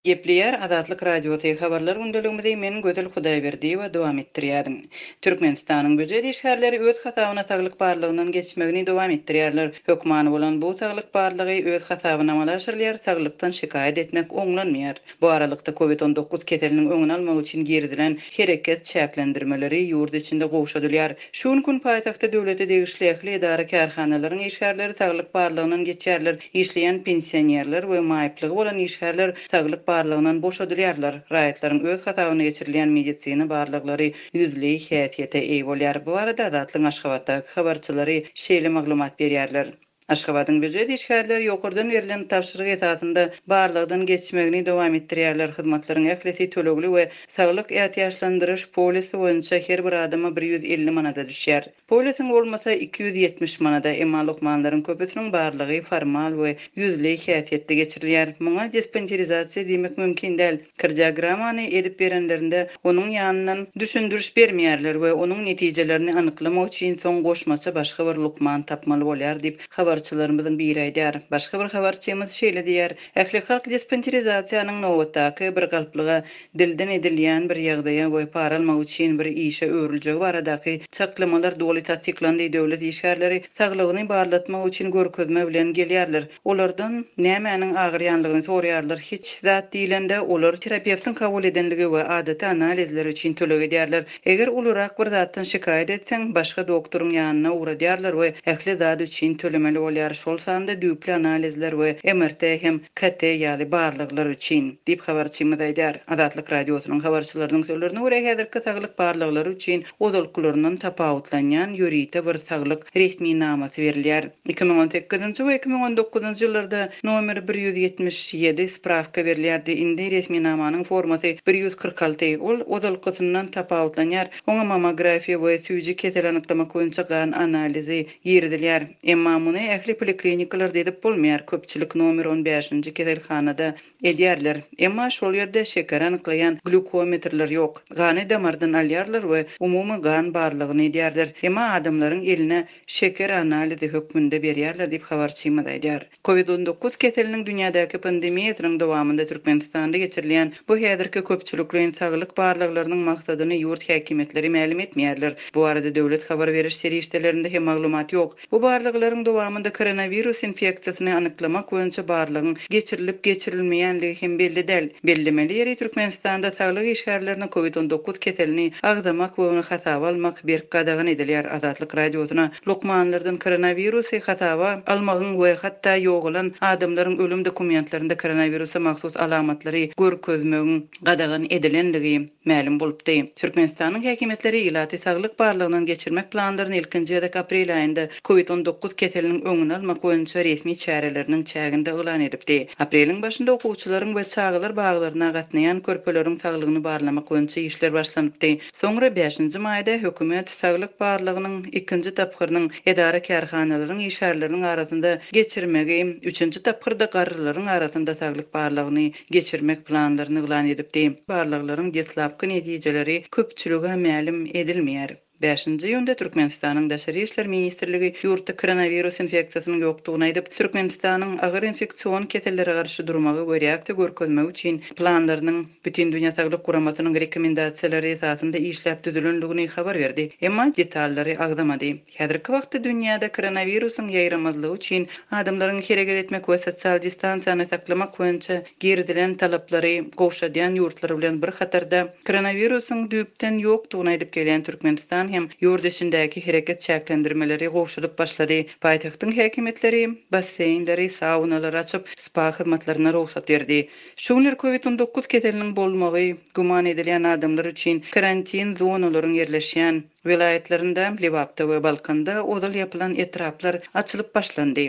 Gepleýär Azatlyk Radiosy, Habarlar gündeligimizi men Gözel Hudaýberdiýewa dowam etdirýärin. Türkmenistanyň býujet işgärleri öz hasabyna saglyk barlagyndan geçmegini dowam etdirýärler. Hökmany bolan bu saglyk barlagy öz hasabyna amala aşyrylýar, saglykdan şikaýat etmek oňlanmaýar. Bu aralykda, Covid 19 keseliniň öňüni almak üçin girizilen hereket çäklendirmeleri ýurt içinde gowşadylýar. Şu günki gün paýtagtda döwlete degişli ähli edara-kärhanalaryň işgärleri saglyk barlagyndan geçýärler, işleýän pensionerler we maýyplygy bolan işgärler saglyk barlagyndan boşadylýarlar. Raýatlaryň öz hasabyna geçirilýän medisina barlaglary ýüzleý häsiýete eýe bolýar. Bu barada Azatlygyň Aşgabatdaky habarçylary şeýle maglumat berýärler. Aşgabadyň býujet işgärleri ýokardan berlen tabşyryk esasynda barlagdan geçmegini dowam etdirýärler. Hyzmatlaryň ählisi tölegli we saglyk ätiýaçlandyryş polisi boýunça her bir adama 150 manada düşýär. Polisiň bolmasa 270 manada. Emma lukmanlaryň köpüsiniň barlagy formal we ýüzleý häsiýetde geçirilýär. Muňa dispanserizasiýa diýmek mümkin däl. Kardiogramany edip berenlerinde onuň ýanyndan düşündiriş bermeýärler we onuň netijelerini anyklamak üçin soň goşmaça başga bir lukman tapmaly bolýar diýip, habarçylarymyzyň biri aýdýar. Başga bir habarçymyz şeýle diýýär, Ählihalk dispanserizasiýanyň nobatdaky bir galplyga, dilden edilýän bir ýagdaýa we para almak üçin bir işe öwrüljegi baradaky çaklamalar doly tassyklandy, döwlet işgärleri saglygyny barlatmak üçin görkezme bilen gelýärler. Olardan nämäniň agyrýanlygyny soraýarlar, hiç zat diýlende, olar terapewtiň kabul edenligi we adaty analizler üçin töleg edýärler. Eger ulurak bir zatdan şikaýat etseň, başga doktoryň ýanyna ugradýarlar we ähli zat üçin tölemeli bolýar, şol sanda düýpli analizler we MRT hem KT ýaly barlaglar üçin, diýip habarçymyz aýdýar. Azatlyk Radiosynyň habarçylarynyň sözlerine görä, häzirki saglyk barlaglary üçin ozalkylaryndan tapawutlanýan ýörite bir saglyk resminamasy berilýär. 2018-nji we 2019-njy ýyllarda nomer 177 sprawka berilýärdi, indi resminamanyň formasy 146, ol ozalkysyndan tapawutlanýar, oňa mammografiýa we süýji keseli anyklamak boýunça gan analizi girizilýär. Emma muny ähli poliklinikalarda edip bolmaýar, köpçülik nomer on bäşinji keselhanada Edýärler. Emma şol ýerde şekeri anyklaýan glýukometrler ýok. Gany damardan alýarlar we umumy gan barlagyny edýärler. Emma adamlaryň eline şeker analizi hökmünde berýärler diýip habarçymyz aýdýar. Covid 19 keseliniň dünýädäki pandemiýasynyň dowamynda Türkmenistanda geçirilýän bu häzirki köpçülikleýin saglyk barlaglarynyň maksadyny ýurt häkimiýetleri mälim etmeýärler. Bu barada döwlet habar beriş serişdelerinde hem maglumat ýok. Bu barlaglaryň dowamynda koronawirus infeksiýasyny anyklamak boýunça barlagyň geçirilip-geçirilmeýänligi hem belli däl. Bellemeli ýeri, Türkmenistanda saglyk işgärlerine Covid 19 keselini agzamak we ony hasaba almak berk gadagan edilýär. Azatlyk Radiosyna lukmanlardan koronawirusy hasaba almagyň we hatda ýogalan adamlaryň ölüm dokumentlerinde koronawirusa mahsus alamatlary görkezmegiň gadagan edilenligi mälim bolupdy. Türkmenistanyň häkimiýetleri ilaty saglyk barlagyndan geçirmek planlaryny ilkinji gezek aprel aýynda Covid 19 keseliniň öňüni almak boýunça resmi çäreleriniň çäginde yglan edipdi. Apreliň başynda okuwçylaryň we çagalar baglaryna gatnaýan körpeleriň saglygyny barlamak boýunça işler başlanypdy. Soňra bäşinji maýda hökümet saglyk barlagynyň ikinji tapgyrynyň edara-kärhanalaryň işgärleriniň arasynda geçirmegi, üçünji tapgyrda garrylaryň arasynda saglyk barlagyny geçirmek planlaryny yglan edipdi. Barlaglaryň deslapky netijeleri köpçülige mälim edilmeýär. Bäşinji iýunda Türkmenistanyň Daşary işler ministrligi ýurtda koronawirus infeksiýasynyň ýokdugyny aýdyp, Türkmenistanyň agyr infeksion kesellere garşy durmagy we reaksiýa görkezmegi üçin planlarynyň Bütindünýä Saglyk Guramasynyň rekomendasiýalary esasynda işläp düzülendigini habar berdi, emma detallary agzamady. Häzirki wagtda dünýäde koronawirusyň ýaýramazlygy üçin adamlaryň hereket etmek we sosial distansiýany saklamak boýunça girizilen talaplary gowşadýan ýurtlar bilen bir hatarda, koronawirusyň düýpden ýokdugyny aýdyp gelýän Türkmenistan hem ýurt içindäki hereket çäklendirmeleri gowşadyp başlady. Paýtagtyň häkimiýetleri basseýnleri, saunalary açyp, spa hyzmatlaryna rugsat berdi. Şu günler Covid 19 keseliniň bolmagy güman edilýän adamlar üçin karantin zonalaryň ýerleşýän Welaýatlarynda, Lebapda we Balkanda ozal ýapylan etraplar açylyp başlandy.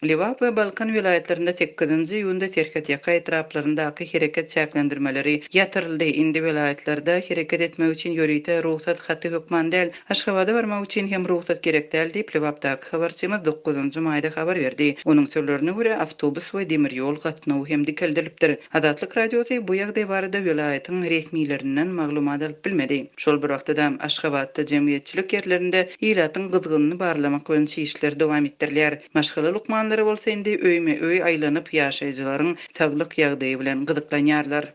Lebap we Balkan welaýatlarynda sekizinji iýunda serhetýaka etraplaryndaky hereket çäklendirmeleri ýatyryldy. Indi welaýatlarda hereket etmek üçin ýörite rugsat haty hökman däl. Aşgabada barmak üçin hem rugsat gerek däl diýip, Lebapdaky habarçymyz dokuzynjy maýda habar berdi. Onuň sözlerine görä, awtobus we demir ýol gatnawy hem dikeldilipdir. Azatlyk Radiosy bu ýagdaý barada welaýatyň resmilerinden maglumat alyp bilmedi. Şol bir wagtda-da, Aşgabatda jemgyýetçilik ýerlerinde ilatyň gyzgynyny barlamak boýunça işler dowam etdirilýär. Maşgala lukmanlary. lukmanlary bolsa indi öýme-öý aýlanyp, ýaşaýjylaryň saglyk ýagdaýy bilen gyzyklanýarlar.